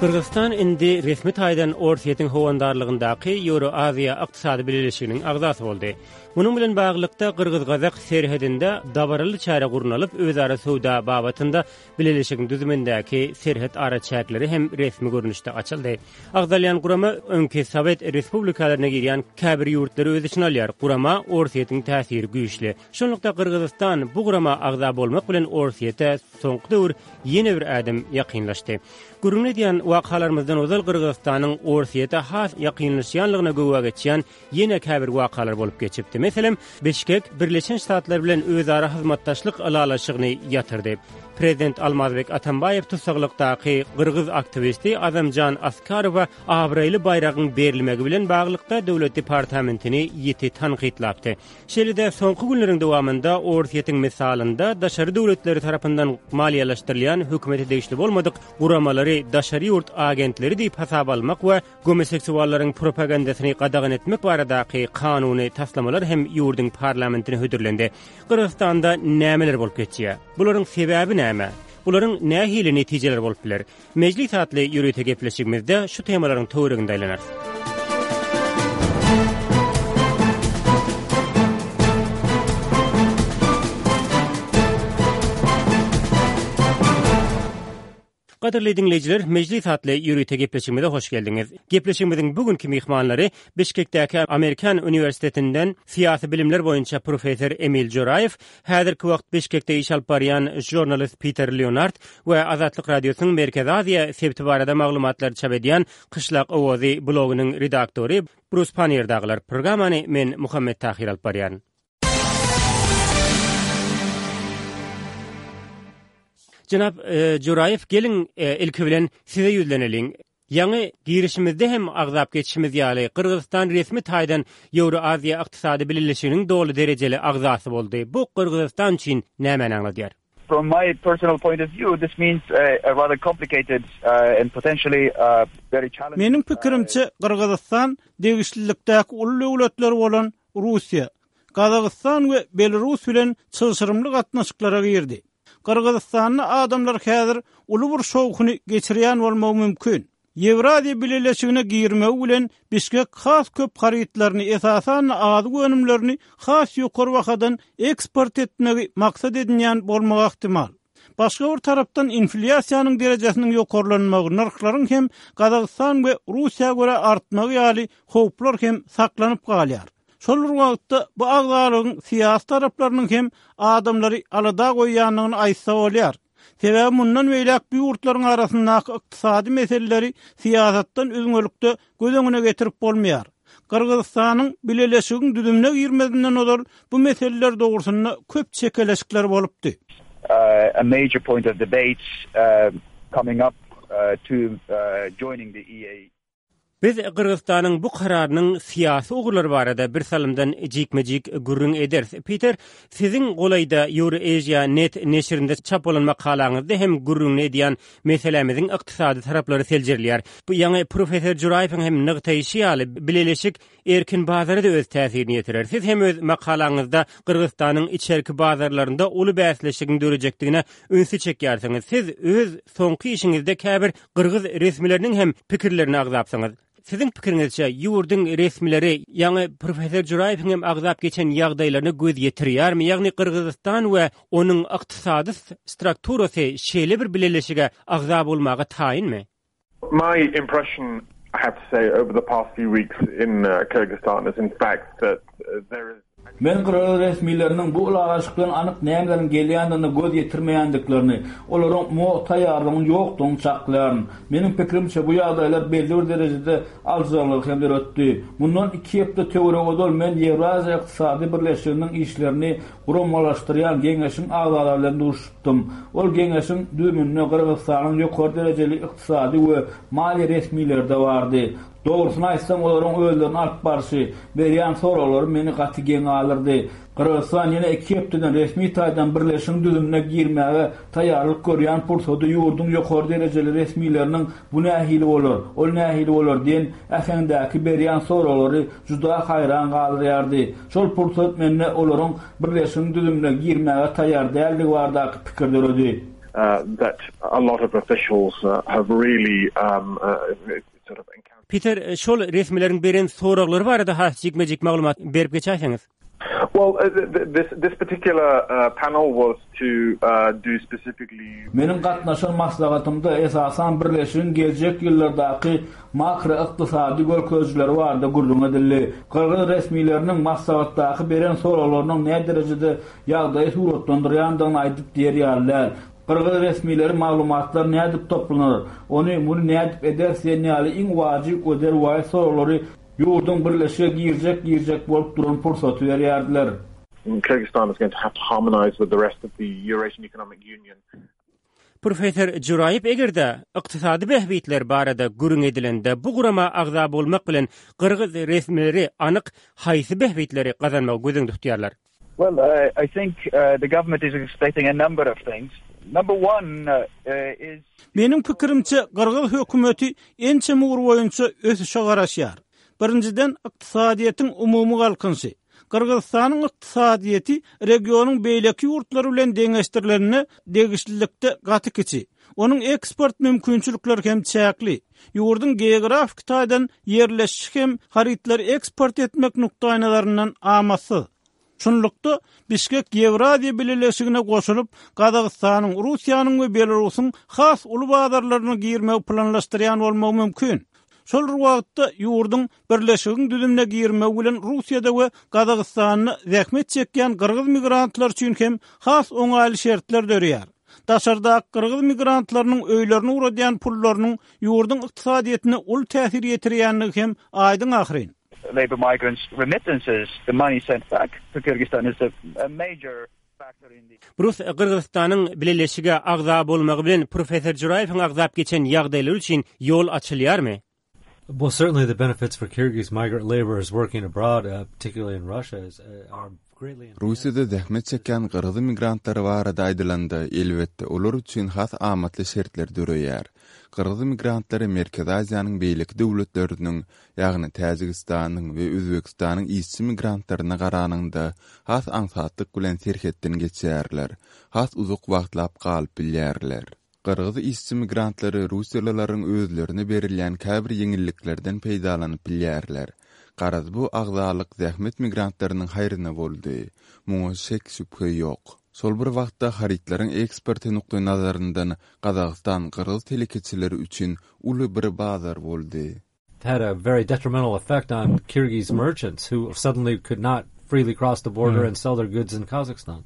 Gyrgyzystan indi resmi taýdan Orsýetiň howandarlygyndaky Ýewroaziýa Ykdysady Bileleşiginiň agzasy boldy. Munuň bilen baglylykda, gyrgyz-gazak serhedinde dabaraly çäre gurnalyp, özara söwda babatynda bileleşigiň düzümindäki serhet araçäkleri hem resmi görnüşde açyldy. Agzalýan gurama öňki sowet respublikalaryna girýän käbir ýurtlary öz içine alýar. Gurama Orsýetiň täsiri güýçli. Şunlukda Gyrgyzystan bu gurama agza bolmak bilen Orsýete soňky döwür ýene bir ädim ýakynlaşdy. Gürrüňini edýän wakalarymyzdan ozal Gyrgyzystanyň Orsýete has ýakynlaşýanlygyna güwä geçýän ýene käbir wakalar bolup geçipdi. Meselem, Bişkek Birleşen Ştatlar bilen özara hyzmatdaşlyk ylalaşygyny ýatyrdy. Prezident Almazbek Atambaýew tussaglykdaky gyrgyz aktiwisti Azamjan Askarowa abraýly baýragyň berilmegi bilen baglylykda Döwlet departamentini ýiti tankytlapdy. Şeýle-de, soňky günleriň dowamynda Orsýetiň mysalynda daşary döwletleri tarapyndan maliýeleşdirilýän hökümete degişli bolmadyk guramalary daşary ýurt agentleri diýip hasaba almak we gomoseksuallaryň propagandasyny gadagan etmek baradaky kanuny taslamalar hem ýurduň parlamentine hödürlendi. Gyrgyzystanda nämeler bolup geçýär? Bularyň sebäbi näme? Bularyň nähili netijeleri bolup biler? Mejlis atly ýörite gepleşigimizde şu temalaryň töwereginde aýlanarys. Gadyrly diňleýjiler, Mejlis atly ýörite gepleşigimize hoş geldiňiz. Gepleşigimiziň bu günki myhmanlary Bişkekdäki Amerikan uniwersitetinden syýasy bilimler boýunça professor Emil Joraýew, Häzirki wagt Bişkekde iş alyp barýan žurnalist Piter Leonard we Azatlyk Radiosynyň Merkezi Aziýa sebiti barada maglumatlary çap edýän Kyşlak owazy blogynyň redaktory Brus Pannier dagylar. Programmany men Muhammet Tahyr alyp barýaryn. Jenap Joraýew, geliň ilki bilen size ýüzleneliň. Ýaňy girişimizde hem agzap geçişimiz ýaly, Gyrgyzystan resmi taýdan Ýewroaziýa Ykdysady Bileleşiginiň doly derejeli agzasy boldy. Bu Gyrgyzystan üçin nämäni aňladýar? From my personal point of view, this means a rather complicated and potentially very challenging. Meniň pikirimçe, Gyrgyzystan degişlilikdäki uly döwletler bolan Russiýa, Gazagystan we Belarus bilen çylşyrymly gatnaşyklara girdi. Gyrgyzystanda adamlar häzir uly bir şowhuny geçirýän bolmagy mümkin. Ýewraziýa Bileleşigine girmegi bilen Bişkek has köp harytlaryny, esasan-da azyk önümlerini has ýokary bahadan eksport etmegi maksat edinýän bolmagy ähtimal. Başga bir tarapdan inflýasiýanyň derejesiniň ýokarlanmagy, nyrhlaryň hem Gazagystan we Russiýa görä artmagy ýaly howplar hem saklanyp galýar. Şol bir wagtda, bu agzalygyň syýasy taraplarynyň hem adamlary alada goýýandygyny aýtsa bolýar. Sebäbi mundan beýläk bu ýurtlaryň arasyndaky ykdysady meseleleri syýasatdan üzňelikde göz öňüne getirip bolmaýar. Gyrgyzystanyň bileleşigiň düzümine girmezinden ozal bu meseleler dogrusynda köp çekeleşikler bolupdy. A major point of debate coming up to joining the EA. Biz Gyrgyzystanyň bu kararynyň syýasy ugurlary barada birsalymdan jikme-jik gürrüň ederis. Piter, siziň golaýda Eurasia net neşirinde çap bolan makalaňyzda hem gürrüňini edýän meselämiziň ykdysady taraplary seljerilýär. Bu ýaňy professor Juraýewiň hem nygtaýşy ýaly, bileleşik erkin bazara-da öz täsirini ýetirer. Siz hem öz makalaňyzda Gyrgyzystanyň içerki bazarlarynda uly bäsleşigiň dörejekdigine ünsi çekýärsiňiz. Siz öz soňky işiňizde käbir gyrgyz resmileriniň hem pikirlerini agzapsyňyz. Siziň pikiriňizçe, ýurduň resmileri, ýaňy professor Juraýewiň hem agzap geçen ýagdaýlaryna göz ýetirýärmi? Ýagny Gyrgyzystan we onuň ykdysady strukturasy şeýle bir bileleşige agza bolmaga taýynmy? My impression, I have to say, over the past few weeks in Kyrgyzstan is in fact that there is. Men gyrgyz resmileriniň bu ylalaşykdan anyk nämeleriň gelýändigine göz ýetirmeýändiklerini, olaryň muňa taýýarlygynyň ýokdugyny çaklaýaryn. Meniň pikirimçe, bu ýagdaýlar belli bir derejede aljyraňlygy hem döretdi. Mundan iki hepde töweregi ozal men Ýewraziýa Ykdysady Birleşiginiň işlerini guramalaşdyrýan Geňeşiň agzalary bilen duşuşypdym. Ol Geňeşiň düzüminde Gyrgyzystanyň ýokary derejeli ykdysady we maliýe resmileri-de bardy. Dogrusyny aýtsam, olaryň özlerini alyp barşy, berýän soraglary meni gaty geň galdyrdy. Gyrgyzystan ýene iki hepdeden resmi taýdan birleşigiň düzümine girmäge taýýarlyk görýän pursady ýurduň ýokary derejeli resmileriniň bu nähili bolar, ol nähili bolar diýen äheňdäki berýän soraglary juda haýran galdyrýardy. Şol pursat mende olaryň birleşigiň düzümine girmäge taýýar däldigi baradaky pikir döredi. that a lot of officials have really sort of encountered. Piter, şol resmileriň beren soraglary barada has jikme-jik maglumat berip geçäýseňiz. Well, this this particular panel was to do specifically. Meniň gatnaşan maslahatymda esasan birleşigiň geljek ýyllardaky makroykdysady görkezijileri barada gürrüň edildi. Gyrgyz resmileriniň maslahatdaky beren soraglarynyň näderejede ýagdaýy suratlandyrýandygyny aýdyp diýer ýaly däl. Gyrgyz resmileri maglumatlar nädip toplanar, ony muny nädip ederis diýen ýaly iň wajyp we derwaýys soraglary ýurduň birleşige girjek-girjek bolup duran pursaty berýärdiler. Kyrgyzstan is going to have to harmonize with the rest of the Eurasian Economic Union. Professor Juraýew eger-de ykdysady bähbitler barada gürrüň edilende bu gurama agza bolmak bilen gyrgyz resmileri anyk haýsy bähbitleri gazanmagy göz öňünde tutýarlar? Well, I think the government is expecting a number of things. Number one is. Meniň pikirimçe, gyrgyz hökümeti ençeme ugur boýunça ösüşe garaşýar. Birinjiden, ykdysadyýetiň umumy galkynyşy. Gyrgyzystanyň ykdysadyýeti regionyň beýleki ýurtlary bilen deňeşdirilende degişlilikde gaty kiçi. Onuň eksport mümkinçilikleri hem çäkli. Ýurduň geografiki taýdan ýerleşişi hem harytlary eksport etmek nukdaýnazaryndan amatsyz. Şunlukda, Bişkek Ýewraziýa Bileleşigine goşulyp, Gazagystanyň, Russiýanyň we Belarusyň has uly bazarlaryna girmegi planlaşdyrýan bolmagy mümkin. Şol bir wagtda, ýurduň Birleşigiň düzümine girmegi bilen Russiýada we Gazagystanda zähmet çekýän gyrgyz migrantlary üçin hem has oňaýly şertler döreýär. Daşardaky gyrgyz migrantlarynyň öýlerine ugradýan pullarynyň ýurduň ykdysadyýetine uly täsir ýetirýändigi hem aýdyň ahyryn. Labor migrants remittances, the money sent back to Kyrgyzstan is a major factor in the. Brus Gyrgyzystanyň Bileleşige agza bolmagy bilen professor Juraýewiň agzap geçen ýagdaýlary üçin ýol açylýarmy? Well, certainly the benefits for Kyrgyz migrant laborers working abroad, uh, particularly in Russia, is, uh, are greatly enhanced. Russiýada zähmet çekýän gyrgyz migrantlary barada aýdylanda, elbetde, olar üçin has amatly şertler döreýär. Gyrgyz migrantlary Merkezi Aziýanyň beýleki döwletleriniň, ýagny Täjigistanyň we Özbegistanyň işçi migrantlaryna garanyňda has aňsatlyk bilen serhetden geçýärler, has uzak wagtlap galyp bilýärler. Gyrgyz işçi migrantlary russiýalylaryň özlerine berilýän käbir ýeňilliklerden peýdalanyp bilýärler. Garaz bu agzalyk zähmet migrantlarynyň haýryna boldy. Muňa şek-şübhe ýok. Şol bir wagtda harytlaryň eksporty nukdaýnazaryndan Gazagystan gyrgyz telekeçileri üçin uly bir bazar boldy. had a very detrimental effect on Kyrgyz merchants who suddenly could not freely cross the border and sell their goods in Kazakhstan.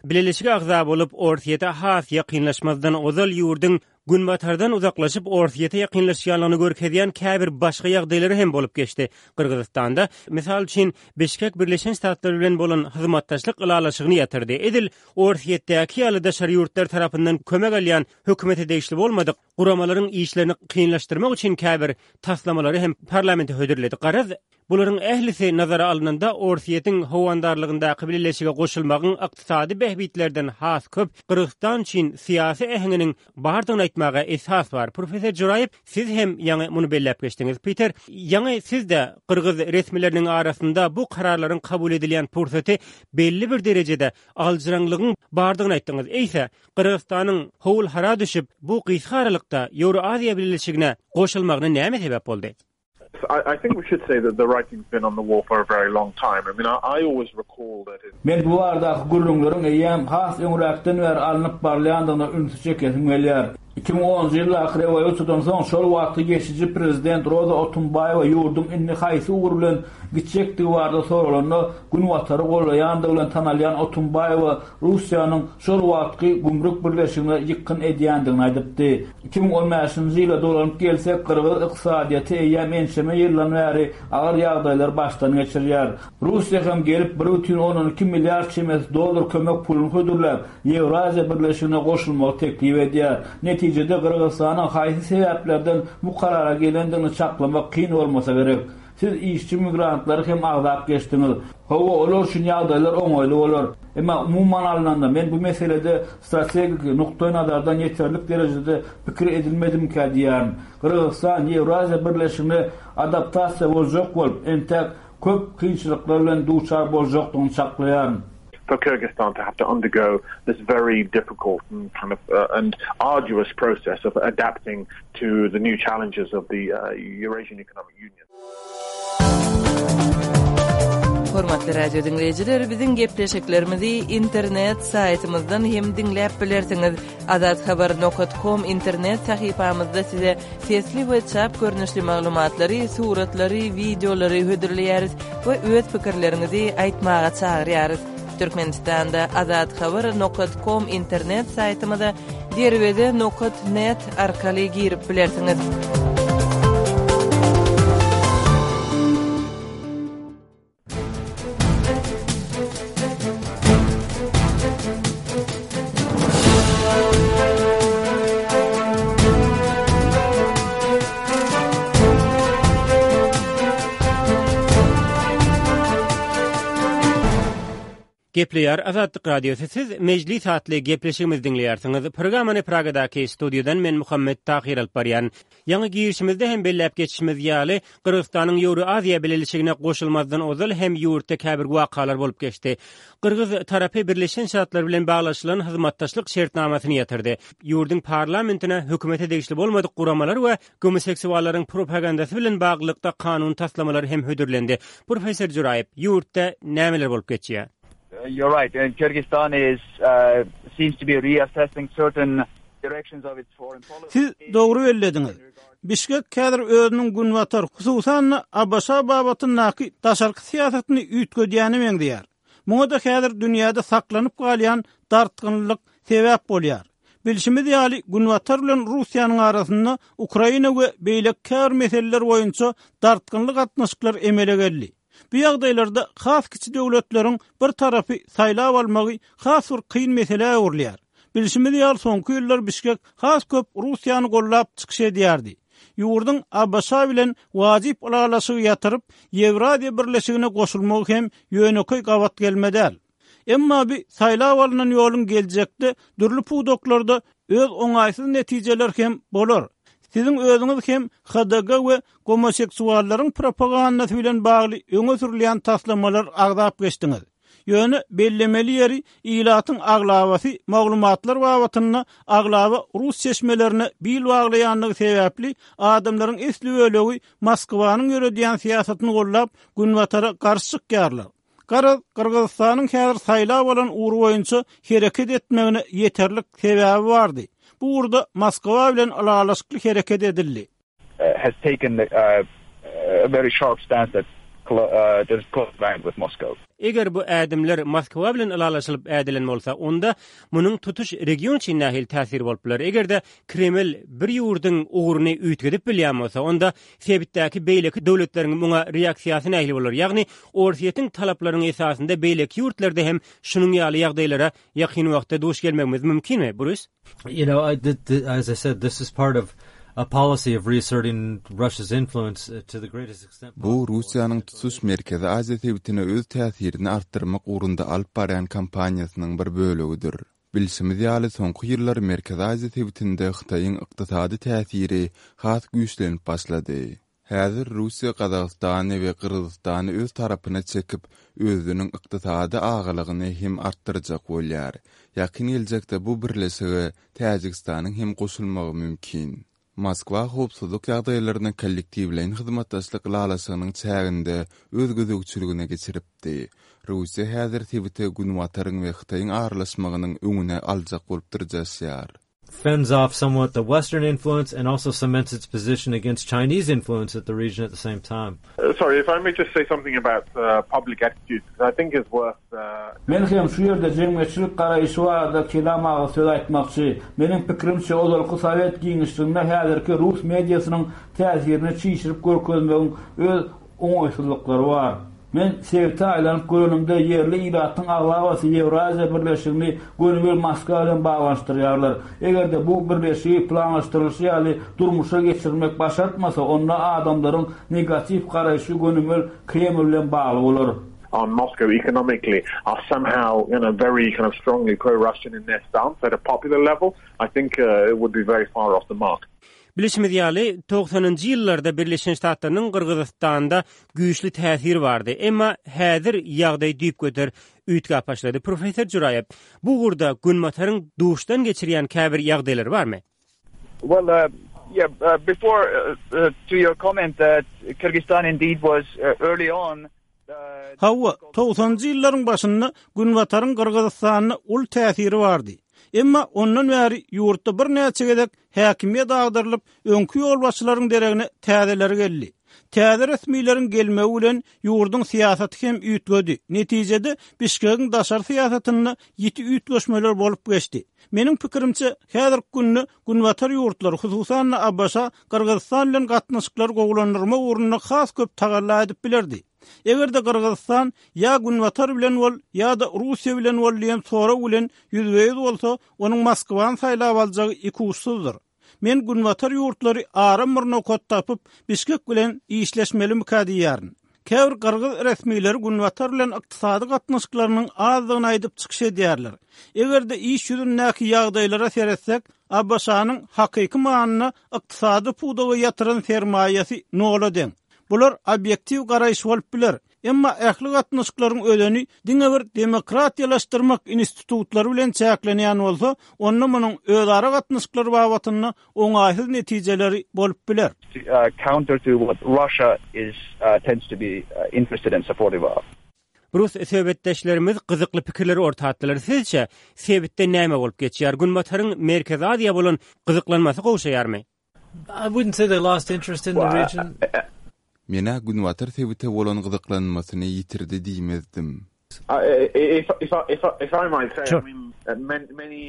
Bileleşige agza bolup, Orsýete has ýakynlaşmazdan ozal ýurduň Günbatardan uzaklaşyp, Orsýete ýakynlaşýanlygyny görkezýän käbir başga ýagdaýlary hem bolup geçdi. Gyrgyzystanda, mysal üçin, Bişkek Birleşen Ştatlar bilen bolan hyzmatdaşlyk ylalaşygyny ýatyrdy. Edil Orsýetdäki ýaly daşary ýurtlar tarapyndan kömek alýan hökümete degişli bolmadyk guramalaryň işlerini kynlaşdyrmak üçin käbir taslamalary hem parlamente hödürledi. Garaz, bularyň ählisi nazara alnanda, Orsýetiň howandarlygyndaky bileleşige goşulmagyň ykdysady bähbitlerden has köp Gyrgyzystan üçin syýasy äheňiniň bardygyny aýtmaga esas bar. Professor Juraýew, siz hem ýaňy muny belläp geçdiňiz. Piter, ýaňy siz-de gyrgyz resmileriniň arasynda bu kararlaryň kabul edilýän pursaty belli bir derejede aljyraňlygyň bardygyny aýtdyňyz. Eýse, Gyrgyzystanyň howul-hara düşüp, bu gysga aralykda Ýewroaziýa Bileleşigine goşulmagyna näme sebäp boldy? Men bu baradaky gürrüňleriň eýýäm has öňräkden bäri alnyp barylýandygyna ünsi çekesim gelýär. 2010-njy ýyldaky rewolýusiýadan soň şol wagtky geçiji prezident Roza Otunbaýewa ýurduň indi haýsy ugur bilen gitjekdigi barada soralanda, Günbatary gollaýandygy bilen tanalýan Otunbaýewa Russiýanyň şol wagtky gümrük birleşigine ýykgyn edýändigini aýdypdy. 2015-nji ýyla dolanyp gelsek, gyrgyz ykdysadyýeti eýýäm ençeme ýyldan bäri agyr ýagdaýlary başdan geçirýär. Russiýa hem gelip 1,2 milliard çemesi dollar kömek puluny hödürläp, Ýewraziýa Birleşigine goşulmagy teklip edýär. Netijede Gyrgyzystanyň haýsy sebäplerden bu karara gelendigini çaklamak kyn bolmasa gerek. Siz işçi migrantlary hem agzap geçdiňiz. Hawa, olar üçin ýagdaýlar oňaýly bolar. Emma umuman alnanda, men bu meselede strategiki nukdaýnazardan ýeterlik derejede pikir edilmedimikä diýýärin. Gyrgyzystan Ýewraziýa Birleşigine adaptasiýa boljak bolup, entäk köp kynçylyklar bilen duçar boljakdygyny çaklaýaryn. for Kyrgyzstan to have to undergo this very difficult and kind of uh, and arduous process of adapting to the new challenges of the uh, Eurasian Economic Union. Hormatly radio diňleýjiler, biziň gepleşiklerimizi internet saýtymyzdan hem diňläp bilersiňiz. Azathabar nokat kom internet sahypamyzda size sesli we çap görnüşli maglumatlary, suratlary, wideolary hödürleýäris we öz pikirleriňizi aýtmaga çagyrýarys. Türkmenistanda Azathabar nokat kom internet saýtymyza Derweze nokat net arkaly girip bilersiňiz. Gepleýär Azatlyk Radiosy Siz Mejlis atly gepleşigimizi diňleýärsiňiz. Programmany Pragadaky studiýadan men Muhammet Tahyr alyp barýan. Ýaňy girişimizde hem belläp geçişimiz ýaly, Gyrgyzystanyň Ýewroaziýa Bileleşigine goşulmazdan ozal hem ýurtda käbir wakalar bolup geçdi. Gyrgyz tarapy Birleşen Ştatlar bilen baglaşylan hyzmatdaşlyk şertnamasyny ýatyrdy. Ýurduň parlamentine hökümete degişli bolmadyk guramalar we gomoseksuallaryň propagandasy bilen baglylykda kanun taslamalary hem hödürlendi. Professor Juraýew, ýurtda nämeler bolup geçýär? You're right. Kyrgyzstan is seems to be reassessing certain Siz dogry bellediňiz. Bişkek häzir özüniň Günbatar, hususan-da, ABŞ babatyndaky daşarky syýasatyny üýtgedýäne meňzeýär. Muňa-da häzir dünýäde saklanyp galýan dartgynlylyk sebäp bolýar. Bilşimiz ýaly, Günbatar bilen Russiýanyň arasynda Ukraina we beýleki käbir meseleler boýunça dartgynly gatnaşyklar emele geldi. Bu ýagdaýlarda has kiçi döwletleriň bir tarapy saýlap almagy has bir kyn meselä öwrülýär. Bilşimiz ýaly, soňky ýyllar Bişkek has köp Russiýany goldap çykyş edýärdi. Ýurduň ABŞ bilen wajyp ylalaşygy ýatyryp, Ýewraziýa Birleşigine goşulmagy hem ýönekeý gabat gelme däl. Emma bu saýlap alnan ýoluň geljekde dürli pudaklarda öz oňaýsyz netijeleri hem bolar. Siziň özüňiz hem HDG we gomoseksuallaryň propagandasy bilen bagly öňe sürülýän taslamalary agzap geçdiňiz. Ýöne bellemeli ýeri, ilatyň aglabasy maglumatlar babatynda aglaba rus çeşmelerine bil baglaýandygy sebäpli, adamlaryň esli bölegi Moskwanyň ýöredýän syýasatyny goldap, Günbatara garşy çykýarlar. Garaz, Gyrgyzystanyň häzir saýlap alan ugry boýunça hereket etmegine ýeterlik sebäbi bardy. Bu ugurda Moskwa bilen ylalaşykly hereket edildi. Has taken a very sharp stance that that is close aligned with Moscow. Eger bu ädimler Moskwa bilen ylalaşylyp ädilen bolsa, onda munuň tutuş region üçin nähili täsiri bolup biler? Eger-de Kreml bir ýurduň ugruny üýtgedip bilýän bolsa, onda sebitdäki beýleki döwletleriň muňa reaksiýasy nähili bolar? Ýagny Orsýetiň talaplarynyň esasynda beýleki ýurtlarda hem şunuň ýaly ýagdaýlara ýakyn wagtda duş gelmegimiz mümkinmi, Brus? You know, I, as I said, this is part of a policy of reasserting Russia's influence uh, to the greatest extent Bu Russiýanyň tutuş Merkezi Aziýa sebitine öz täsirini artdyrmak ugrunda alyp barýan kampaniýasynyň bir bölegidir. Bilşimiz ýaly, soňky ýyllar Merkezi Aziýa sebitinde Hytaýyň ykdysady täsiri has güýçlenip başlady. Häzir Russiýa Gazagystany we Gyrgyzystany öz tarapyna çekip, özüniň ykdysady agalygyny hem artdyrjak bolýar. Ýakyn geljekde bu birleşige Täjigistanyň hem goşulmagy mümkin. Moskwa howpsuzlyk ýagdaýlaryny kollektiwleýin hyzmatdaşlyk ylalaşygynyň çäginde öz gözegçiligine geçiripdi. Russiýa häzir sebite Günbataryň we Hytaýyň aralaşmagynyň öňüni aljak bolup dyrjaşýar. Fends off somewhat the western influence and also cements its position against Chinese influence at the region at the same time. Sorry, if I may just say something about public attitudes, because I think it's worth Men hem şu ýerde jemgyýetçilik garaýşy barada kelam agyz söz aýtmakçy. Meniň pikirimçe, ozalky sowet giňişliginde häzirki rus mediasynyň täsirini çişirip görkezmegiň öz oňaýsyzlyklary bar. Men sebite aýlanyp görenimde ýerli ilatyň aglabasy Ýewraziýa birleşigini gönübir Moskwa bilen baglanyşdyrýarlar. Eger-de bu birleşigi planlaşdyrylyşy ýaly durmuşa geçirmek başartmasa, onda adamlaryň negatiw garaýşy gönümel Kreml bilen bagly bolar. On Moscow economically are somehow you know very kind of strongly pro-Russian in their stance at a popular level, I think uh, it would be very far off the mark. Bilşimiz ýaly, togsanynjy ýyllarda Birleşen Ştatlarynyň Gyrgyzystanda güýçli täsiri bardy. Emma häzir ýagdaý düýpgöter üýtgäp başlady. Professor Juraýew, bu ugurda Günbataryň duşdan geçirýän käbir ýagdaýlary barmy? Well, uh, yeah, uh, before uh, to your comment that Kyrgyzstan indeed was early on Hawa, togsanynjy ýyllaryň başynda Günbataryň Gyrgyzystanda uly täsiri bardy. Emma ondan bäri ýurtda birnäçe gezek häkimiýet agdarylyp, öňki ýolbaşçylaryň deregine täzeleri geldi. Täze resmileriň gelmegi bilen ýurduň syýasaty hem üýtgedi. Netijede, Bişkegiň daşary syýasatynda ýiti üýtgeşmeler bolup geçdi. Meniň pikirimçe, häzirki günde Günbatar ýurtlary, hususan-da ABŞ Gyrgyzystan bilen gatnaşyklary gowulandyrmak ugrunda has köp tagalla edip bilerdi. Eger-de Gyrgyzystan ýa Günbatar bilen bol, ýa-da Russiýa bilen bol diýen sorag bilen ýüzbe-ýüz bolsa, onuň Moskwany saýlap aljagy ikuçsuzdyr. Men Günbatar ýurtlary aram bir nokat tapyp, Bişkek bilen işleşmelimikä diýýärin. Käbir gyrgyz resmileri Günbatar bilen ykdysady gatnaşyklarynyň azdygyny aýdyp çykyş edýärler. Eger-de iş ýüzündäki ýagdaýlara seretsek, ABŞ-nyň hakyky manyda ykdysady pudaga ýatyran sermaýasy nola deň. Bular obýektiw garaýyş bolup biler. Emma ähli gatnaşyklaryň özeni diňe bir demokratiýalaşdyrmak institutlary bilen çäklenýän bolsa, onda munuň özara gatnaşyklar babatynda oňaýsyz netijeleri bolup biler. Counter to what Russia is tends to be interested and supportive of. Rus söhbetdeşlerimiz gyzykly pikirleri orta atdylar. Sizçe, sebitde näme bolup geçýär? Günbataryň Merkezi Aziýa bolan gyzyklanmasy gowşaýarmy? I wouldn't say they lost interest in the region. Men-ä Günbatar sebite bolan gyzyklanmasyny ýitirdi diýmezdim.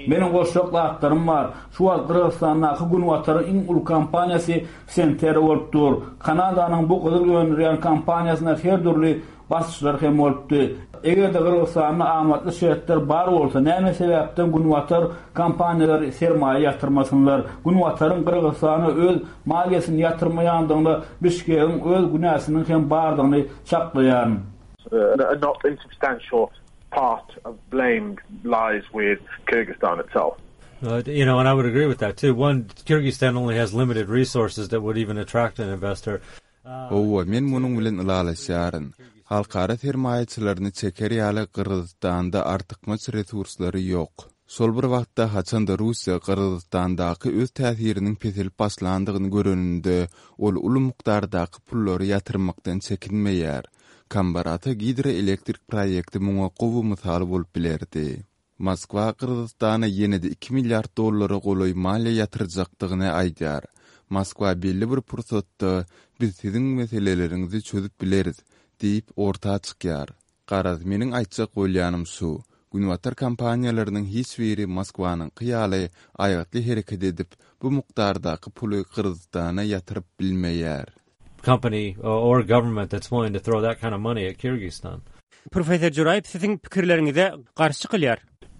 Meniň goşjak zatlarym bar. Şu wagt Gyrgyzystandaky Günbataryň iň uly kompaniýasy Centerra bolup dur. Kanadanyň bu gyzyl öndürýän kompaniýasyna her dürli basyşlar hem bolupdy. Eger-de Gyrgyzystanda amatly şertler bar bolsa, näme sebäpden Günbatar kompaniýalary sermaýa ýatyrmasynlar? Günbataryň Gyrgyzystana öz maliýesini ýatyrmaýandygyna Bişkegiň öz günäsiniň hem bardygyny çaklaýaryn. A not insubstantial part of blame lies with Kyrgyzstan itself. You know, and I would agree with that too. One, Kyrgyzstan only has limited resources that would even attract an investor. Hawa, men munuň bilen ylalaşýaryn. Halkara sermaýaçylaryny çeker ýaly Gyrgyzystanda artykmaç resurslary ýok. Şol bir wagtda, haçan-da Russiýa Gyrgyzystandaky öz täsiriniň peselip başlandygyny göreninde, ol uly mukdardaky pullary ýatyrmakdan çekinmeýär. Kambarata gidroelektrik proýekti muňa gowy mysal bolup bilerdi. Moskwa Gyrgyzystana ýene-de iki milliard dollara golaý maliýe ýatyrjakdygyny aýdýar. Moskwa belli bir pursatda, Biz siziň meseleleriňizi çözüp bileris diýip, orta çykýar. Garaz, meniň aýtjak bolýanym şu, Günbatar kompaniýalarynyň hiç biri Moskwanyňky ýaly aýgytly hereket edip, bu mukdardaky puly Gyrgyzystana ýatyryp bilmeýär. company or government that's willing to throw that kind of money at Kyrgyzstan. Professor Juraýew siziň pikirleriňize garşy çykylýar.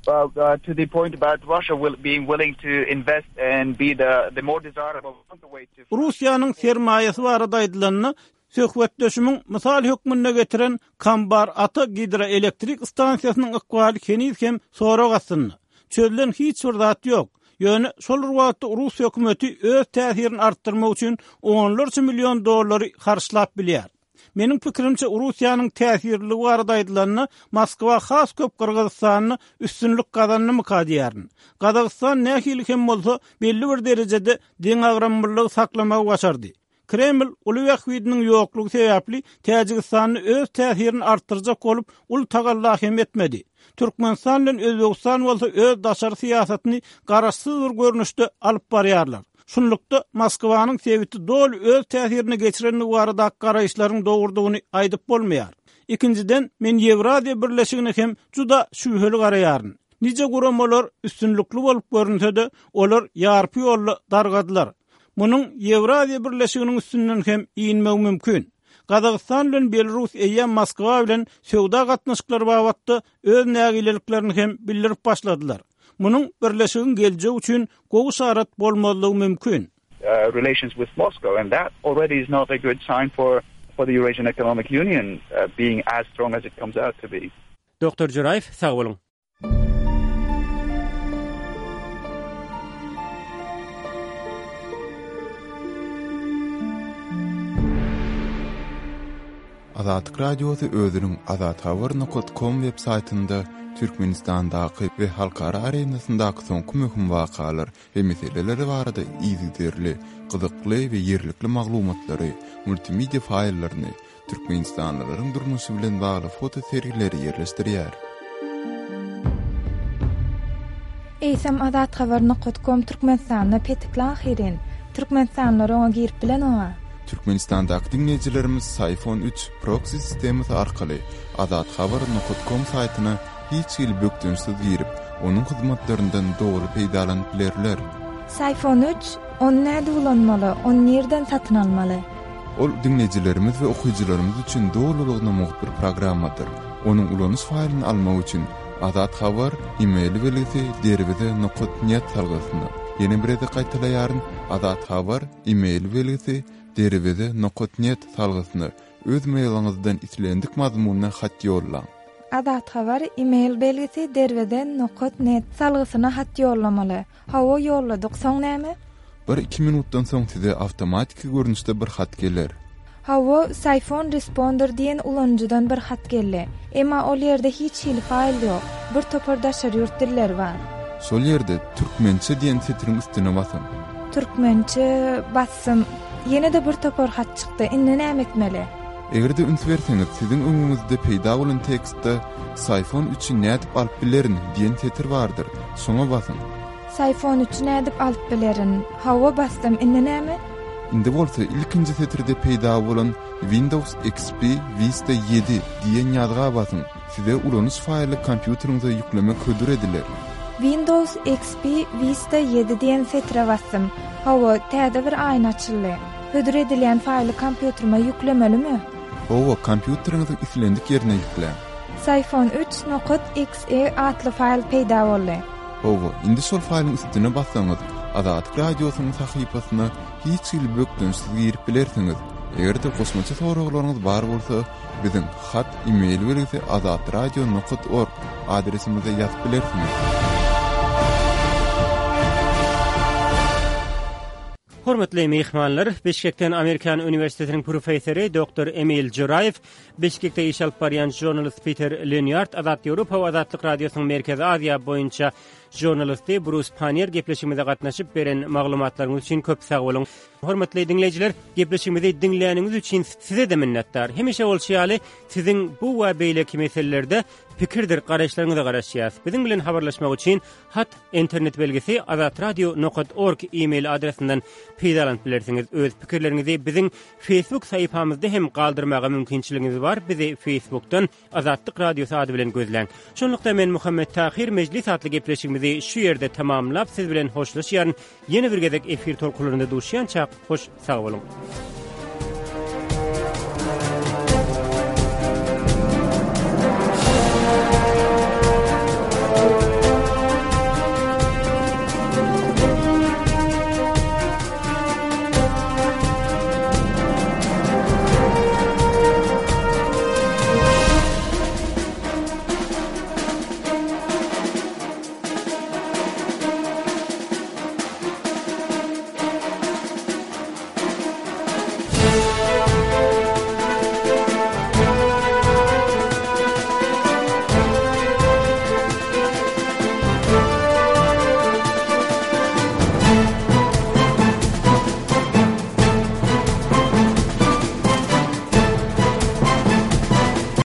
Well, uh, to the point about Russia will, being willing to invest and be the, the more desirable counterweight to Russiýanyň sermaýasy barada aýdylanda, söhbetdeşimiň mysal hökmünde getiren Kambar Ata gidroelektrik stansiýasynyň ykbaly heniz hem sorag astynda. Çözlen hiç bir zat ýok. Ýöne şol bir wagtda rus hökümeti öz täsirini artdyrmak üçin onlarça million dollary harçlap bilýär. Meniň pikirimçe, Russiýanyň täsirliligi barada aýdylanda, Moskwa has köp Gyrgyzystanda üstünlik gazandymyka diýýärin. Gazagystan nähili hem bolsa, belli bir derejede deňagramlylygy saklamagy başardy. Kreml uly bähbidiniň ýoklugy sebäpli Täjigistanda öz täsirini artdyrjak bolup uly tagalla hem etmedi. Türkmenistan bilen Özbegistan bolsa öz daşary syýasatyny garaşsyz bir görnüşde alyp barýarlar. Şunlukda Moskwanyň sebiti doly öz täsirine geçirendigi baradaky garaýyşlaryň dogrudygyny aýdyp bolmaýar. Ikinjiden, men Ýewraziýa Birleşigine hem juda şübheli garaýaryn. Nije guramalar üstünlikli bolup görünse-de, olar ýarpy ýolda dargadylar. Munuň Ýewraziýa Birleşiginiň üstünden hem inmegi mümkin. Gazagystan bilen Belarus eýýäm Moskwa bilen söwda gatnaşyklary babatda öz nägileliklerini hem bildirip başladylar. Munuň Birleşigiň geljegi üçin gowy yşarat bolmazlygy mümkin. relations with Moscow and that already is not a good sign for for the Eurasian Economic Union being as strong as it comes out to be. Doktor Juraýew sag boluň. Azatlyk Radiosy özüniň azathabar nokat kom web saýtynda Türkmenistandaky we halkara arenasyndaky soňky möhüm wakalar we meseleler barada yzygiderli, gyzykly we ýerlikli maglumatlary, multimedia faýllaryny, türkmenistanlylaryň durmuşy bilen bagly foto sergileri ýerleşdirýär. Eýsem azathabar nokat kom Türkmenistanda petikli ahyryn. Türkmenistanlylar oňa girip bilenoga. Türkmenistandaky diňleýjilerimiz Syfon üç proksi sistemasy arkaly azathabar nokat kom saýtyna hiç hili bökdençsiz girip, onuň hyzmatlaryndan doly peýdalanyp bilerler. Syfon üç, ony nädip ulanmaly, ony nirden satyn almaly? Ol diňleýjilerimiz we okyjylarymyz üçin dolulygyna mugt bir programmadyr. Onuň ulanyş faýlyny almak üçin Azat Habar e-mail belgisi derweze nokat net salgysyna, ýene bir gezek gaýtalaýaryn, Azat Habar e-mail belgisi derweze nokat net salgysyna öz mailiňizden islendik mazmunda hat ýollaň. Azat Habar e-mail belgisi derweze nokat net salgysyna hat ýollamaly. Hawa ýolladyk, soň näme? Bir-iki minutdan soň size awtomatiki görnüşde bir hat geler. Hawa, Syphon Responder diýen ulanyjydan bir hat geldi. Emma ol ýerde hiç hili faýl ýok. Bir topar daşary ýurt dilleri bar. Şol ýerde Türkmençe diýen setiriň üstüne basyň. Türkmençe basdym. Ýene-de bir topar hat çykdy. Indi näme etmeli? Eger-de üns berseňiz, siziň öňüňizde peýda bolan tekstde Syphon üçi nädip alyp bilerin diýen setir bardyr. Şoňa basyň. Syphon üçi nädip alyp bilerin? Hawa, basdym. Indi näme? Indi bolsa ilkinji setirde peýda bolan Windows XP Vista ýedi diýen ýazga basyň. Size ulanyş faýly kompýuteriňize ýüklemek hödür ediler. Windows XP Vista ýedi diýen setire basdym. Hawa, täze bir aýna açyldy. Hödür edilýän faýly kompýuterime ýüklemelimi? Hawa, kompýuteriňiziň islendik ýerine ýükläň. Syphon üç nokat XE atly faýl peýda boldy. Hawa, indi şol faýlyň üstüne bassaňyz, Azatlyk Radiosynyň sahypasyna hiç hili bökdençsiz girip bilersiňiz. Eger-de goşmaça soraglaryňyz bar bolsa, biziň hat e-mail belgisi azatradio nokat org adresimize ýazyp bilersiňiz. Hormatly myhmanlar, Bişkekden Amerikan uniwersitetiniň professory doktor Emil Joraýew, Bişkekde iş alyp barýan žurnalist Piter Lenýard, Azat Ýewropa we Azatlyk Radiosynyň Merkezi Aziýa boýunça žurnalisti Brus Pannier gepleşigimize gatnaşyp beren maglumatlaryňyz üçin köp sag boluň. Hormatly diňleýjiler, gepleşigimizi diňläniňiz üçin size-de minnetdar. Hemişe bolşy ýaly, siziň bu we beýleki meselelerde pikirdir garaýyşlaryňyza garaşýarys. Biziň bilen habarlaşmak üçin Hat, internet belgisi azatradio nokat org e-mail adresinden peýdalanyp bilersiňiz. Öz pikirleriňizi biziň Facebook sahypamyzda hem galdyrmaga mümkinçiligiňiz bar, bizi Facebookdan Azatlyk Radiosy ady bilen gözläň. Şonlukda men Muhammet Tahyr Mejlis atly gepleşigimizi şu ýerde tamamlap siz bilen hoşlaşýaryn. Ýene bir gezek efir tolkunlarynda duşýançak hoş sag boluň.